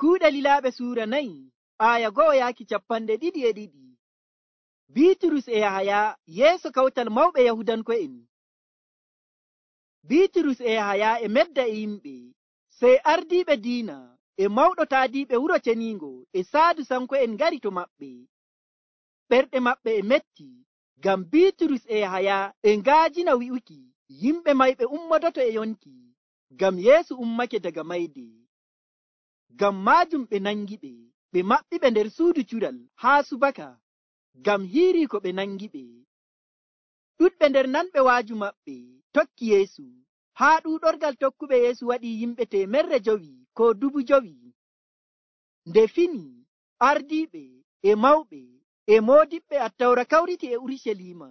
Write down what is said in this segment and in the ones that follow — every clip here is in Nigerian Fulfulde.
Kuuɗe Lilaaɓe suura 4 aya 1-22. Biiturus e Yahaya yeeso kawtal mawɓe Yahudanko'en. Biiturus e Yahaya e medda e yimɓe, sey ardiiɓe diina e mawɗo taadiiɓe wuro ceniingo e Saadusanko'en ngari to maɓɓe. Ɓerɗe maɓɓe e metti, ngam Biiturus e Yahaya e ngaajina wi'uki yimɓe mayɓe ummodoto e yonki, ngam Yeesu ummake daga mayde. Ngam maajum ɓe nangiɓe, ɓe maɓɓiɓe nder suudu cural haa subaka, ngam hiirii ko ɓe nangiɓe. Ɗuɗɓe nder nanɓe waaju maɓɓe tokki Yeesu, haa ɗuuɗorgal tokkuɓe Yeesu waɗii yimɓe 500 ko 5,000. Nde fini, ardiiɓe e mawɓe e moodiɓɓe Attawra kawriti e Urucaliima,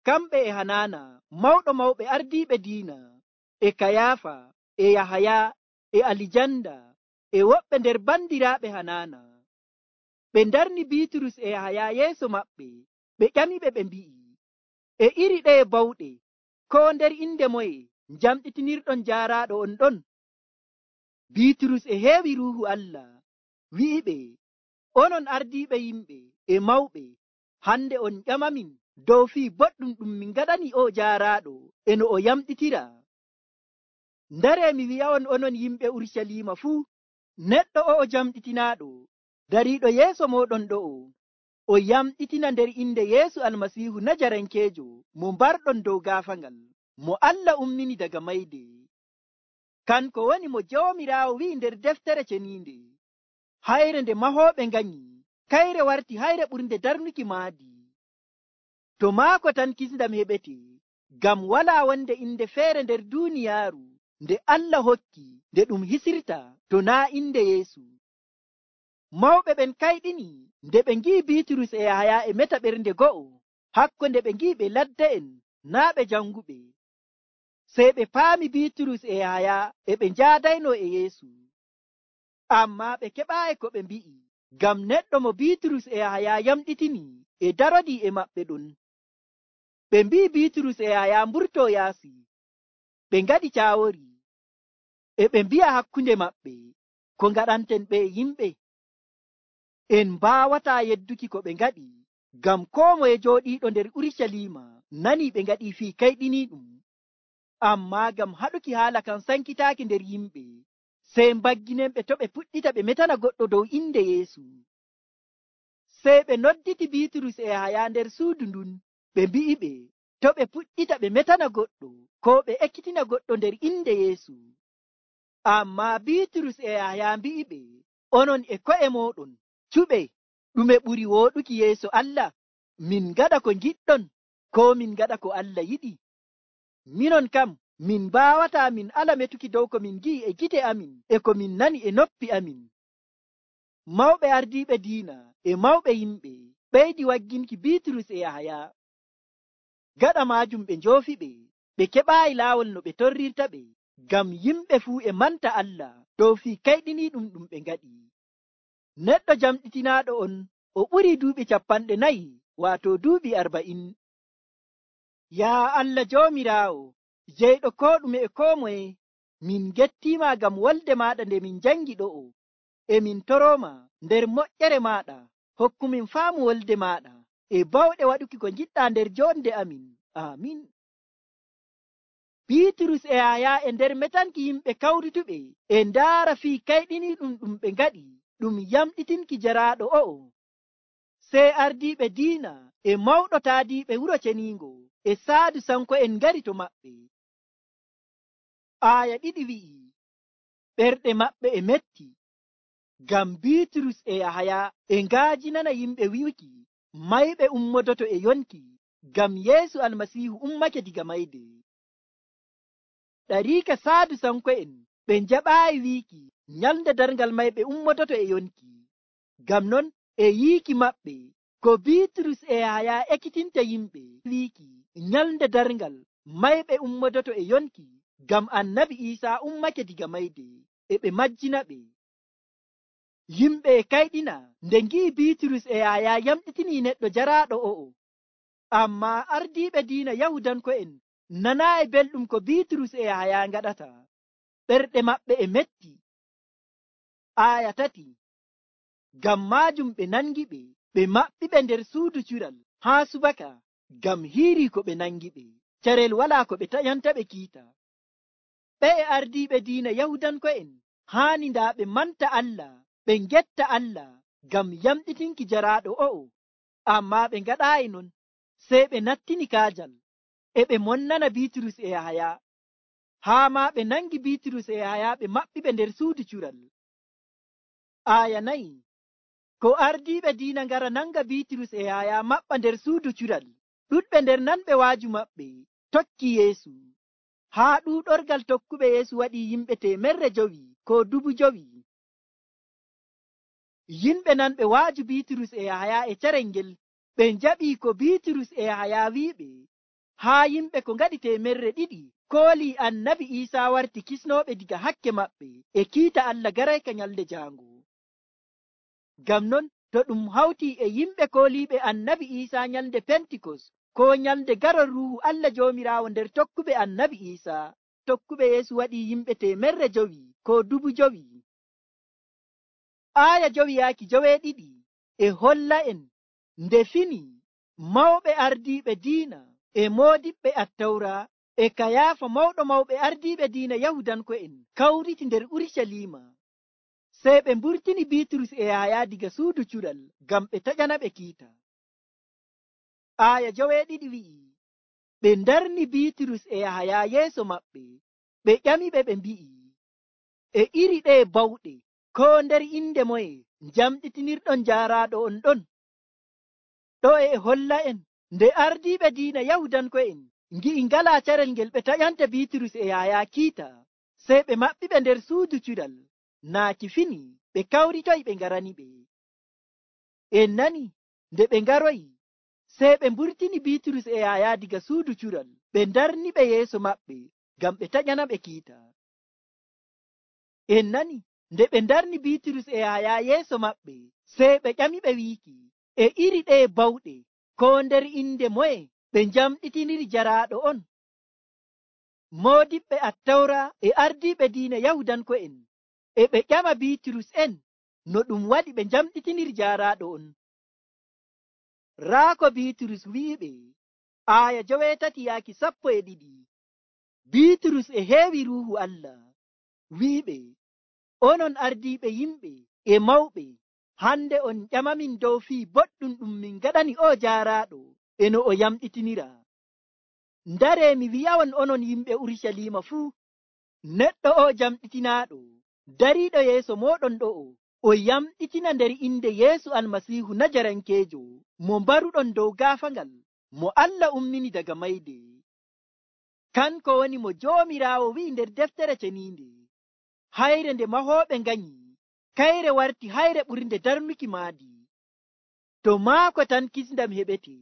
kamɓe e Hanaana mawɗo mawɓe ardiiɓe diina, e Kayaafa, e Yahaya, e Alijanda, e woɓɓe nder bandiraaɓe Hanaana. Ɓe ndarni Biiturus e Yahaya yeeso maɓɓe, ɓe ƴamiɓe ɓe mbi'i, e iri ɗeye bawɗe, koo nder inde moye njamɗitinirɗon jaaraaɗo on ɗon? Biiturus e heewi Ruuhu Allah wi'iɓe, onon ardiiɓe yimɓe e mawɓe, hande on ƴamamin dow fii boɗɗum ɗum min ngaɗani o jaaraaɗo e no o yamɗitira. Ndaree mi wi'a'on onon yimɓe Urucaliima fuu, neɗɗo o'o jamɗitinaaɗo dariiɗo yeeso mooɗon ɗo'o, o yamɗitina nder inde Yeesu Almasiihu Najarankeejo mo mbarɗon dow gaafaangal, mo Allah ummini daga mayde. Kanko woni mo Joomiraawo wi'i nder deftere ceniinde, hayre nde mahooɓe nganyi, kayre warti hayre ɓurnde darnuki maadi. To maako tan kisndam heɓete, ngam walaa wonde inde feere nder duuniyaaru nde Allah hokki nde ɗum hisirta to naa inde Yeesu. Mawɓe ɓen kayɗini nde ɓe ngi'i Biiturus e Yahaya e meta ɓernde go'o, hakkunde ɓe ngi'i ɓe ladda'en naa ɓe janguɓe. Sey ɓe paami Biiturus e Yahaya e ɓe njaadayno e Yeesu. Ammaa ɓe keɓaayi ko ɓe mbi'i, ngam neɗɗo mo Biiturus e Yahaya yamɗitini e darodii e maɓɓe ɗon. Ɓe mbi'i Biiturus e Yahaya mburtoo yaasi. Ɓe ngaɗi caawori, e ɓe mbi'a hakkunde maɓɓe, ko ngaɗanten ɓe yimɓe? En mbaawataa yedduki ko ɓe ngaɗi, ngam koo moye jooɗiiɗo nder Urucaliima nanii ɓe ngaɗii fii kayɗiniiɗum. Ammaa ngam haɗuki haala kan sankitaaki nder yimɓe, sey mbagginenɓe to ɓe puɗɗita ɓe metana goɗɗo dow inde Yeesu. Sey ɓe nodditi Biiturus e Yahaya nder suudu ndun, ɓe mbi'iɓe to ɓe puɗɗita ɓe metana goɗɗo koo ɓe ekkitina goɗɗo nder inde Yeesu. Ammaa Biiturus e Yahaya mbi'iɓe, onon e ko'e mooɗon cuɓe, ɗume ɓuri wooɗuki yeeso Allah? Min ngaɗa ko ngiɗɗon, koo min ngaɗa ko Allah yiɗi? Minon kam, min mbaawataa min ala metuki dow ko min ngi'i e gite amin e ko min nani e noppi amin. Mawɓe ardiiɓe diina e mawɓe yimɓe ɓeydi wagginki Biiturus e Yahaya. Gaɗa maajum ɓe njoofiɓe, ɓe keɓaayi laawol no ɓe torrirta ɓe, ngam yimɓe fuu e manta Allah dow fii kayɗiniiɗum ɗum ɓe ngaɗi. Neɗɗo jamɗitinaaɗo on o ɓurii duuɓi 40, waato duuɓi 40. Yaa Allah Joomiraawo, jeyɗo koo ɗume e koo moye, min gettiima ngam wolde maaɗa nde min jangi ɗo'o, e min torooma nder moƴƴere maaɗa, hokkumin faamu wolde maaɗa e bawɗe waɗuki ko ngiɗɗaa nder joonde amin. Aamin. Biiturus e Yahaya e nder metanki yimɓe kawrituɓe e ndaara fii kayɗiniiɗum ɗum ɓe ngaɗi ɗum yamɗitinki jaraaɗo o'o. Sey ardiiɓe diina e mawɗo taadiiɓe wuro ceniingo e Saadusanko'en ngari to maɓɓe. Aya 2 wi'i, ɓerɗe maɓɓe e metti, ngam Biiturus e Yahaya e ngaajinana yimɓe wi'uki mayɓe ummodoto e yonki, ngam Yeesu Almasiihu ummake diga mayde. Ɗariika Saadusanko'en ɓe njaɓaayi wiiki nyalnde darngal mayɓe ummodoto e yonki. Ngam non e yiiki maɓɓe ko Biiturus e Yahaya ekkitinta yimɓe wiiki nyalnde darngal mayɓe ummodoto e yonki, ngam Annabi Iisaa ummake diga mayde, e ɓe majjina ɓe. Yimɓe e kayɗina nde ngi'i Biiturus e Yahaya yamɗitinii neɗɗo jaraaɗo o'o. Ammaa ardiiɓe diina Yahudanko'en nanaayi belɗum ko Biiturus e Yahaya ngaɗata. Ɓerɗe maɓɓe e metti. Aya 3. Ngam maajum ɓe nangiɓe, ɓe maɓɓiɓe nder suudu cural haa subaka, ngam hiiri ko ɓe nangiɓe. Carel walaa ko ɓe taƴantaɓe kiita. Ɓe ardiiɓe diina Yahudanko'en haani ndaa ɓe manta Allah, ɓe ngetta Allah ngam yamɗitinki jaraaɗo o'o, ammaa ɓe ngaɗaayi non. Sey ɓe nattini kaajal, e ɓe monnana Biiturus e Yahaya. Haa maa ɓe nangi Biiturus e Yahaya ɓe maɓɓiɓe nder suudu cural. Aya 4. Ko ardiiɓe diina ngara nanga Biiturus e Yahaya maɓɓa nder suudu cural, ɗuɗɓe nder nanɓe waaju maɓɓe tokki Yeesu. Haa ɗuuɗorgal tokkuɓe Yeesu waɗi yimɓe 500 ko 5,000. Yimɓe nanɓe waaju Biiturus e Yahaya e carel ngel, ɓe njaɓii ko Biiturus e Yahaya wi'iɓe. Haa yimɓe ko ngaɗi 200 koolii Annabi Iisaa warti kisnooɓe diga hakke maɓɓe e kiita Allah garayka nyalde jaango. Ngam non, to ɗum hawtii e yimɓe kooliiɓe Annabi Iisaa nyalde Pentikos, ko nyalde garol Ruuhu Allah Joomiraawo nder tokkuɓe Annabi Iisaa, tokkuɓe Yeesu waɗi yimɓe 500 ko 5,000. Aya 5-12 e holla en nde fini mawɓe ardiiɓe diina e moodiɓɓe Attawra e Kayaafa mawɗo mawɓe ardiiɓe diina Yahudanko'en kawriti nder Urucaliima. Sey ɓe mburtini Biiturus e Yahaya diga suudu cural ngam ɓe taƴana ɓe kiita. Aya 12 wi'i, ɓe ndarni Biiturus e Yahaya yeeso maɓɓe, ɓe ƴamiɓe ɓe mbi'i, e iri ɗee bawɗe, ko nder inde moye njamɗitinirɗon jaaraaɗo on ɗon? Ɗo e holla en nde ardiiɓe diina Yahudanko'en ngi'i ngalaa carel ngel ɓe taƴanta Biiturus e Yahaya kiita, sey ɓe maɓɓiɓe nder suudu cural. Naaki fini ɓe kawritoyi ɓe ngaraniɓe. En nani, nde ɓe ngaroyi, sey ɓe mburtini Biiturus e Yahaya diga suudu cural, ɓe ndarniɓe yeeso maɓɓe ngam ɓe taƴana ɓe kiita. En nani, nde ɓe ndarni Biiturus e Yahaya yeeso maɓɓe, sey ɓe ƴamiɓe wiiki, e iri ɗee bawɗe, ko nder inde moye ɓe njamɗitiniri jaraaɗo on? Moodiɓɓe Attawra e ardiiɓe diina Yahudanko'en e ɓe ƴama Biiturus en no ɗum waɗi ɓe njamɗitiniri jaaraaɗo on. Raa ko Biiturus wi'iɓe. Aya 8-12. Biiturus e heewi Ruuhu Allah wi'iɓe, onon ardiiɓe yimɓe e mawɓe, hande on ƴamamin dow fii boɗɗum ɗum min ngaɗani o jaaraaɗo e no o yamɗitinira. Ndaree mi wi'awon onon yimɓe Urucaliima fuu, neɗɗo o jamɗitinaaɗo dariiɗo yeeso mooɗon ɗo'o, o yamɗitina nder inde Yeesu Almasiihu Najarankeejo, mo mbaruɗon dow gaafangal, mo Allah ummini daga mayde. Kanko woni mo Joomiraawo wi'i nder deftere ceniinde, hayre nde mahooɓe nganyi, kayre warti hayre ɓurnde darnuki maadi. To maako tan kisndam heɓete,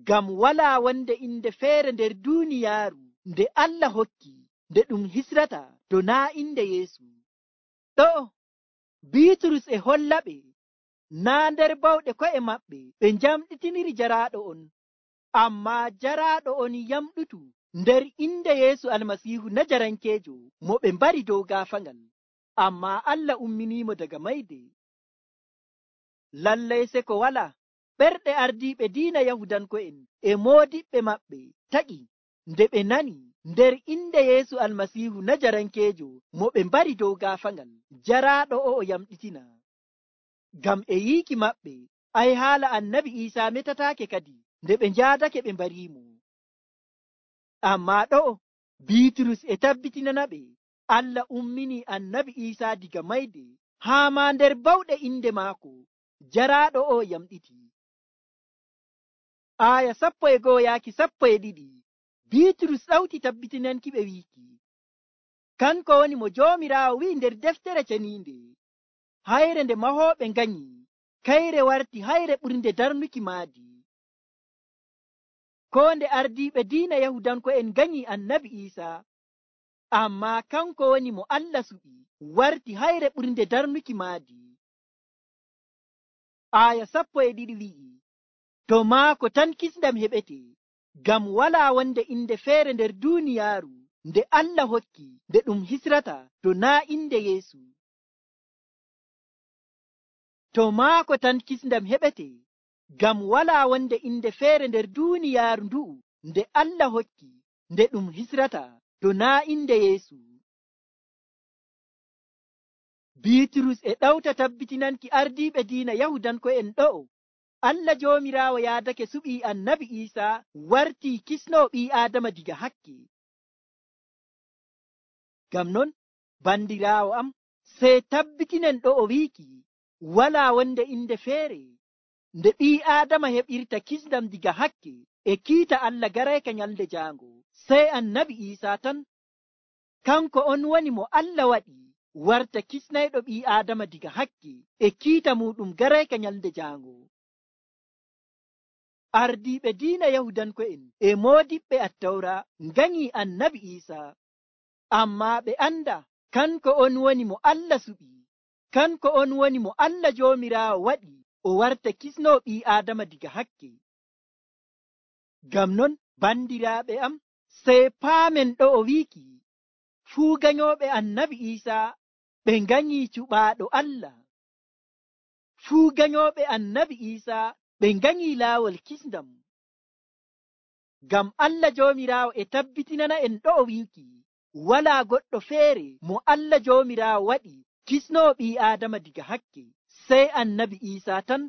ngam walaa wonde inde feere nder duuniyaaru nde Allah hokki, nde ɗum hisrata to naa inde Yeesu. Ɗo Biiturus e hollaɓe naa nder bawɗe ko'e maɓɓe ɓe njamɗitiniri jaraaɗo on, ammaa jaraaɗo on yamɗutu nder inde Yeesu Almasiihu Najarankeejo mo ɓe mbari dow gaafangal, ammaa Allah umminiimo daga mayde. Lallay se ko walaa, ɓerɗe ardiiɓe diina Yahudanko'en e moodiɓɓe maɓɓe taƴi nde ɓe nani nder inde Yeesu Almasiihu Najarankeejo mo ɓe mbari dow gaafangal, jaraaɗo o yamɗitina. Ngam e yiiki maɓɓe, ay haala Annabi Iisaa metataake kadi nde ɓe njaadake ɓe mbariimo. Ammaa ɗo Biiturus e tabbitinanaɓe Allah ummini Annabi Iisaa diga mayde, haa maa nder bawɗe inde maako, jaraaɗo o yamɗiti. Aya 11-12 Biiturus ɗawti tabbitinanki ɓe wiiki, kanko woni mo Joomiraawo wi'i nder deftere ceniinde, hayre nde mahooɓe nganyi, kayre warti hayre ɓurnde darnuki maadi. Ko nde ardiiɓe diina Yahudanko'en nganyi Annabi Iisaa, ammaa kanko woni mo Allah suɓi, warti hayre ɓurnde darnuki maadi. Aya 12 wi'i, to maako tan kisndam heɓete, ngam walaa wonde inde feere nder duuniyaaru nde Allah hokki, nde ɗum hisrata to naa inde Yeesu. to maako tan kisndam heɓete, ngam walaa wonde inde feere nder duuniyaaru ndu'u nde Allah hokki nde ɗum hisrata to naa inde Yeesu. Biiturus e ɗawta tabbitinanki ardiiɓe diina Yahudanko'en ɗo'o Allah Joomiraawo yaadake suɓii Annabi Iisaa wartii kisnoo ɓii Aadama diga hakke. Ngam non, bandiraawo am, sey tabbitinen ɗo'o wiiki walaa wonde inde feere nde ɓii Aadama heɓirta kisndam diga hakke e kiita Allah garayka nyalde jaango, sey Annabi Iisaa tan. Kanko on woni mo Allah waɗi warta kisnayɗo ɓii Aadama diga hakke e kiita muɗum garayka nyalde jaango. Ardiiɓe diina Yahudanko'en e moodiɓɓe Attawra nganyii Annabi Iisaa, ammaa ɓe anda kanko on woni mo Allah suɓi, kanko on woni mo Allah Joomiraawo waɗi o warta kisnoo ɓii Aadama diga hakke. Ngam non, bandiraaɓe am, sey paamen ɗo'o wiiki fuu ganyooɓe Annabi Iisaa ɓe nganyii cuɓaaɗo Allah. Fuu ganyooɓe Annabi Iisaa ɓe nganyii laawol kisndam. Ngam Allah Joomiraawo e tabbitinana en ɗo'o wiiki walaa goɗɗo feere mo Allah Joomiraawo waɗi kisnoo ɓii Aadama diga hakke, sey Annabi Iisaa tan.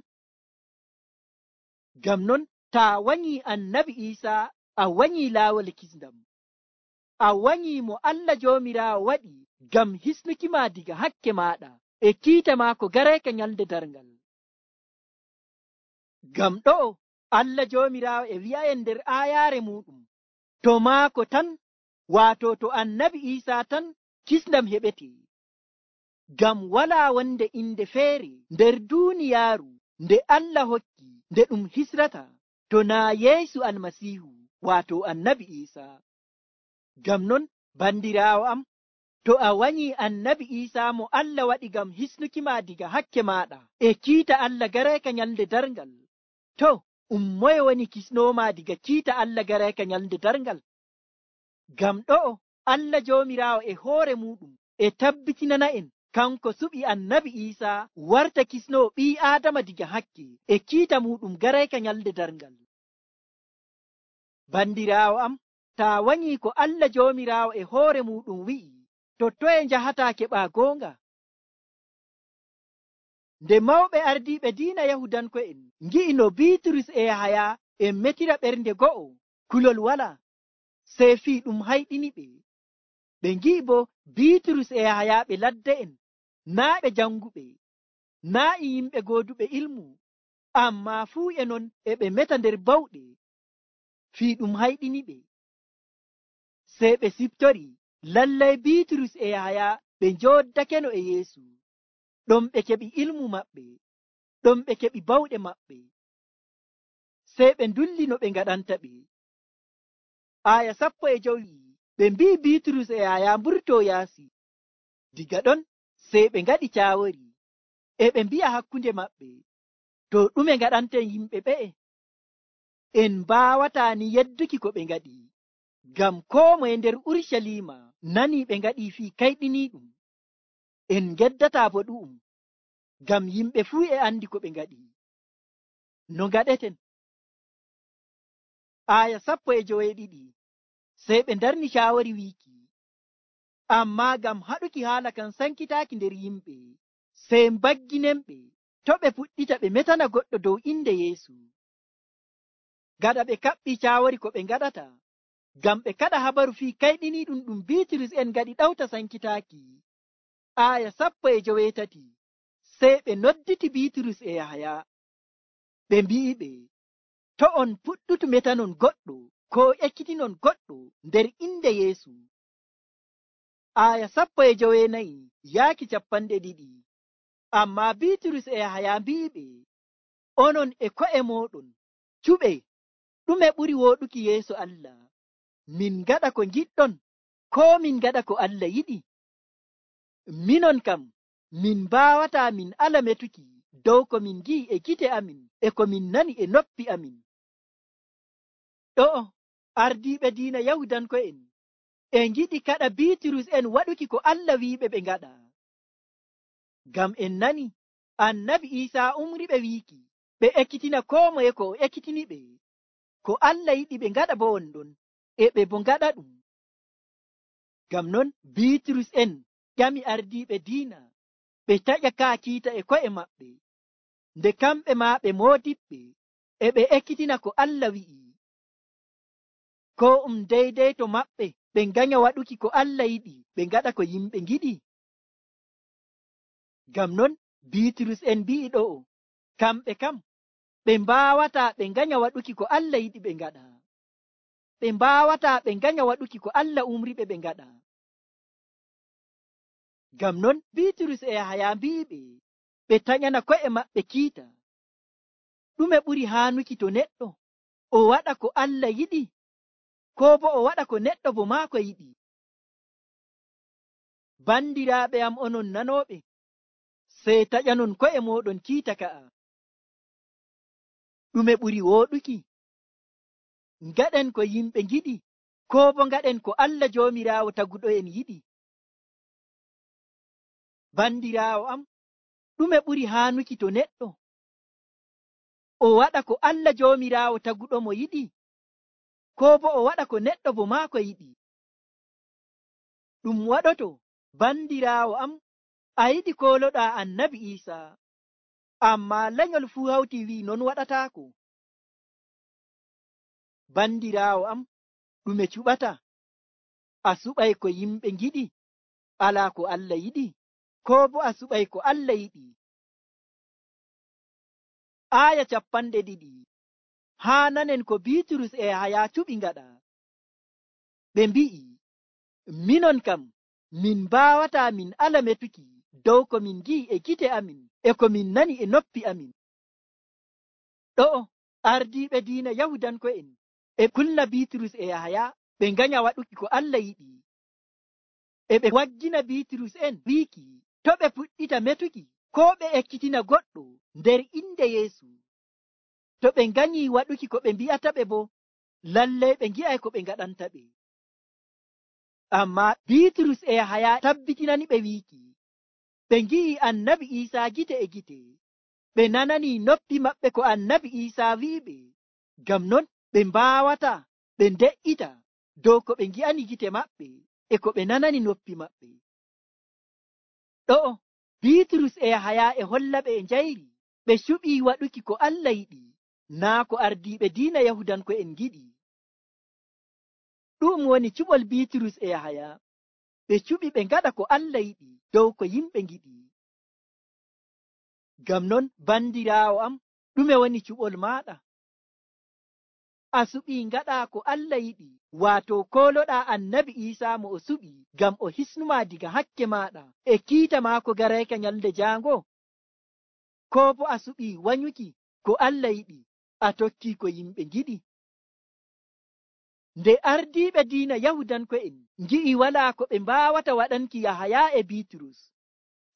Ngam non, taa wanyii Annabi Iisaa a wanyii laawol kisndam, a wanyii mo Allah Joomiraawo waɗi ngam hisnuki ma diga hakke maaɗa e kiita maako garayka nyalde darngal. Ngam ɗo'o Allah Joomiraawo e wi'a'en nder aayaare muɗum, to maako tan, waato to Annabi Iisaa tan kisndam heɓete. Ngam walaa wonde inde feere nder duuniyaaru nde Allah hokki nde ɗum hisrata to naa Yeesu Almasiihu, waato Annabi Iisaa. Ngam non, bandiraawo am, to a wanyii Annabi Iisaa mo Allah waɗi ngam hisnuki ma diga hakke maaɗa e kiita Allah garayka nyalde darngal, to moye woni kisnooma diga kiita Allah garayka nyalde darngal? Ngam ɗo'o Allah Joomiraawo e hoore muɗum e tabbitinana en kanko suɓi Annabi Iisaa warta kisnoo ɓii Aadama diga hakke e kiita muɗum garayka nyalde darngal. Bandiraawo am, taa wanyii ko Allah Joomiraawo e hoore muɗum wi'i, to toye njahataa keɓaa goonga? Nde mawɓe ardiiɓe diina Yahudanko'en ngi'i no Biiturus e Yahaya e metira ɓernde go'o, kulol walaa, sey fii ɗum hayɗini ɓe. Ɓe ngi'i bo Biiturus e Yahaya ɓe ladde'en, naa ɓe janguɓe, naa e yimɓe gooduɓe ilmu, ammaa fuu e non e ɓe meta nder bawɗe. Fii ɗum hayɗini ɓe, sey ɓe siftori lallay Biiturus e Yahaya ɓe njooddakeno e Yeesu. Ɗon ɓe keɓi ilmu maɓɓe, ɗon ɓe keɓi bawɗe maɓɓe, sey ɓe ndulli no ɓe ngaɗanta ɓe. Aya 15 ɓe mbi'i Biiturus e Yahaya mburtoo yaasi. Diga ɗon sey ɓe ngaɗi caawori, e ɓe mbi'a hakkunde maɓɓe, to ɗume ngaɗanten yimɓe ɓe'e? En mbaawataa ni yedduki ko ɓe ngaɗi, ngam koo moye nder Urucaliima nanii ɓe ngaɗii fii kayɗiniiɗum. En ngeddataa bo ɗu'um, ngam yimɓe fuu e andi ko ɓe ngaɗi. No ngaɗeten? Aya 12 sey ɓe ndarni caawori wiiki, ammaa ngam haɗuki haala kan sankitaaki nder yimɓe, sey mbagginen ɓe to ɓe puɗɗita ɓe metana goɗɗo dow inde Yeesu. Gaɗa ɓe kaɓɓii caawori ko ɓe ngaɗata, ngam ɓe kaɗa habaru fii kayɗiniiɗum ɗum Biiturus en ngaɗi ɗawta sankitaaki. Aya 13 sey ɓe nodditi Biiturus e Yahaya, ɓe mbi'i ɓe, to on puɗɗutu metanon goɗɗo koo ekkitinon goɗɗo nder inde Yeesu. Aya 14 yaaki 20. Ammaa Biiturus e Yahaya mbi'i ɓe, onon e ko'e mooɗon cuɓe, ɗume ɓuri wooɗuki yeeso Allah? Min ngaɗa ko ngiɗɗon, koo min ngaɗa ko Allah yiɗi? Minon kam, min mbaawataa min ala metuki dow ko min ngi'i e gite amin e ko min nani e noppi amin. Ɗo'o ardiiɓe diina Yahudanko'en e ngiɗi kaɗa Biiturus en waɗuki ko Allah wi'iɓe ɓe ngaɗa. Ngam en nani annabi Iisaa umriɓe wiiki ɓe ekkitina koo moye ko o ekkitiniɓe. Ko Allah yiɗi ɓe ngaɗa bo wonɗon, e ɓe bo ngaɗa ɗum. Ngam non Biiturus en ƴami ardiiɓe diina ɓe taƴa kaa kiita e ko'e maɓɓe, nde kamɓe maa ɓe moodiɓɓe e ɓe ekkitina ko Allah wi'i. Ko deydey to maɓɓe ɓe nganya waɗuki ko Allah yiɗi ɓe ngaɗa ko yimɓe ngiɗi. Ngam non Biiturus en mbi'i ɗo'o kamɓe kam ɓe mbaawataa ɓe nganya waɗuki ko Allah yiɗi ɓe ngaɗa. Ɓe mbaawataa ɓe nganya waɗuki ko Allah umriɓe ɓe ngaɗa. Ngam non Biiturus e Yahaya mbi'iɓe ɓe taƴana ko'e maɓɓe kiita. Ɗume ɓuri haanuki to neɗɗo o waɗa ko Allah yiɗi, koo bo o waɗa ko neɗɗo bo maako yiɗi? Bandiraaɓe am onon nanooɓe, sey taƴanon ko'e mooɗon kiita ka'a. Ɗume ɓuri wooɗuki? Ngaɗen ko yimɓe ngiɗi, koo bo ngaɗen ko Allah Joomiraawo taguɗo'en yiɗi? Bandiraawo am, ɗume ɓuri haanuki to neɗɗo o waɗa ko Allah Joomiraawo taguɗo mo yiɗi, koo bo o waɗa ko neɗɗo bo maako yiɗi? Ɗum waɗoto, bandiraawo am, a yiɗi kooloɗaa annabi Iisaa, ammaa lenyol fuu hawti wi'i non waɗataako. Bandiraawo am, ɗume cuɓata? A suɓay ko yimɓe ngiɗi, alaa ko Allah yiɗi, koo bo a suɓay ko Allah yiɗi? Aaya 2 haa nanen ko Biiturus e Yahaya cuɓi ngaɗa. Ɓe mbi'i, minon kam min mbaawataa min ala metuki dow ko min ngi'i e gite amin e ko min nani e noppi amin. Ɗo'o ardiiɓe diina Yahudanko'en e kulna Biiturus e Yahaya ɓe nganya waɗuki ko Allah yiɗi. E ɓe waggina Biiturus en wiiki to ɓe puɗɗita metuki koo ɓe ekkitina goɗɗo nder inde Yeesu. To ɓe nganyi waɗuki ko ɓe mbi'ata ɓe bo, lallay ɓe ngi'ay ko ɓe ngaɗanta ɓe. Ammaa Biiturus e Yahaya tabbitinani ɓe wiiki ɓe ngi'i annabi Iisaa gite e gite, ɓe nanani noppi maɓɓe ko annabi Iisaa wi'iɓe. Ngam non ɓe mbaawata ɓe nde'ita dow ko ɓe ngi'ani gite maɓɓe e ko ɓe nanani noppi maɓɓe. Ɗo'o Biiturus e Yahaya e holla ɓe e njayri ɓe cuɓii waɗuki ko Allah yiɗi, naa ko ardiiɓe diina Yahudanko'en ngiɗi. Ɗum woni cuɓol Biiturus e Yahaya, ɓe cuɓi ɓe ngaɗa ko Allah yiɗi dow ko yimɓe ngiɗi. Ngam non bandiraawo am, ɗume woni cuɓol maaɗa? A suɓii ngaɗa ko Allah yiɗi, waato kooloɗaa annabi Iisaa mo o suɓi ngam o hisnumaa diga hakke maaɗa e kiita maako garayka nyalde jaango? Koo bo a suɓii wanyuki ko Allah yiɗi, a tokkii ko yimɓe ngiɗi? Nde ardiiɓe diina Yahudanko'en ngi'i walaa ko ɓe mbaawata waɗanki Yahaya e Biiturus,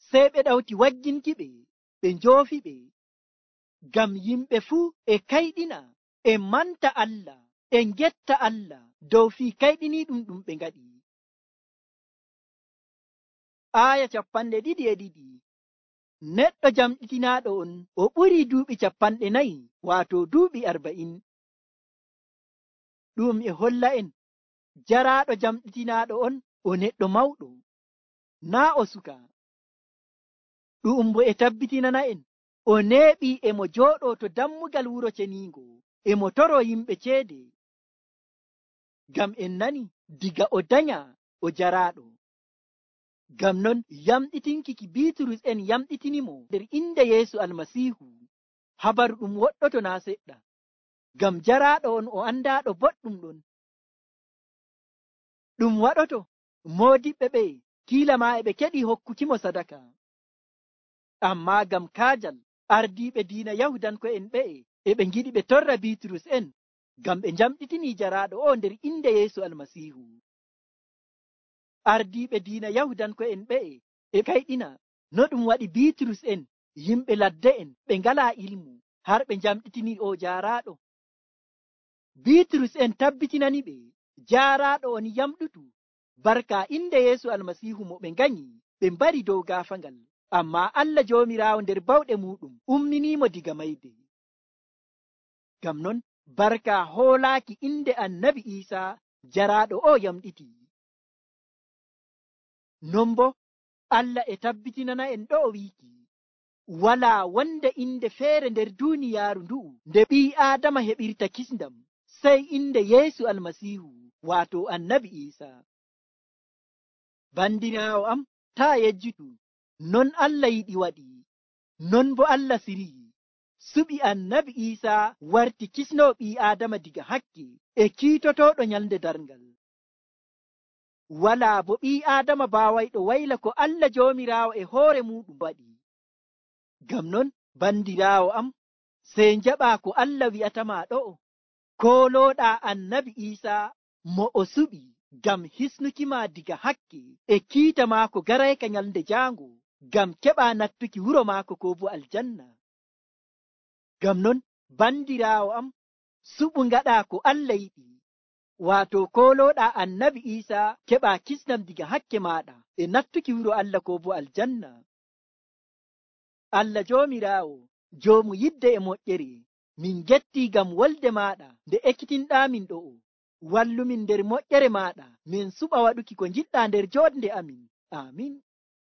sey ɓe ɗawti wagginki ɓe, ɓe njoofi ɓe. Ngam yimɓe fuu e kayɗina, e manta Allah, e ngetta Allah dow fii kayɗiniiɗum ɗum ɓe ngaɗi. Aaya 22 neɗɗo jamɗitinaaɗo on o ɓurii duuɓi 40, waato duuɓi 40. Ɗum e holla en jaraaɗo jamɗitinaaɗo on o neɗɗo mawɗo, naa o suka. Ɗum bo e tabbitinana en o neeɓii e mo jooɗoo to dammugal wuro ceniingo e mo toroo yimɓe ceede. Ngam en nani diga o danya o jaraaɗo. Ngam non yamɗitinki ki Biiturus en yamɗitinimo nder inde Yeesu Almasiihu, habaru ɗum woɗɗoto naa seɗɗa. Ngam jaraaɗo on o andaaɗo boɗɗum ɗon. Ɗum waɗoto moodiɓɓe ɓe kiila maa e ɓe keɗii hokkukimo sadaka. Ammaa ngam kaajal ardiiɓe diina Yahudanko'en ɓe'e e ɓe ngiɗi ɓe torra Biiturus en, ngam ɓe njamɗitinii jaraaɗo o nder inde Yeesu Almasiihu. Ardiiɓe diina Yahudanko'en ɓe'e e kayɗina no ɗum waɗi Biiturus en yimɓe ladde en ɓe ngalaa ilmu har ɓe njamɗitinii o jaaraaɗo. Biiturus en tabbitinani ɓe jaaraaɗo on yamɗutu barka inde Yeesu Almasiihu mo ɓe nganyi ɓe mbari dow gaafangal. Ammaa Allah Joomiraawo nder bawɗe muuɗum umminiimo diga mayde. Ngam non barka hoolaaki inde Annabi Iisaa jaraaɗo o yamɗiti. Non bo Allah e tabbitinana en ɗo o wiiki walaa wonde inde feere nder duuniyaaru ndu'u nde ɓii Aadama heɓirta kisndam sey inde Yeesu Almasiihu waato Annabi Iisaa. Bandiraawo am, taa yejjutu, non Allah yiɗi waɗi, non bo Allah sirii suɓi Annabi Iisaa warti kisnoo ɓii Aadama diga hakke e kiitotooɗo nyalnde darngal. Walaa bo ɓii Aadama baawayɗo wayla ko Allah Joomiraawo e hoore muuɗum waɗi. Ngam non bandiraawo am, sey njaɓaa ko Allah wi'atama ɗo'o, koolooɗaa Annabi Iisaa mo o suɓi ngam hisnukima diga hakke e kiita maako garayka nyalnde jaango ngam keɓaa nattuki wuro maako ko bo aljanna. Ngam non bandiraawo am, suɓu ngaɗaa ko Allah yiɗi, waato koolooɗaa Annabi Iisaa keɓaa kisnam diga hakke maaɗa e nattuki wuro Allah ko bo aljanna. Allah Joomiraawo, joomu yidde e moƴƴere, min gettii ngam wolde maaɗa nde ekkitinɗaamin ɗo'o. Wallumin nder moƴƴere maaɗa min suɓa waɗuki ko njiɗɗaa nder jooɗnde amin. Amin.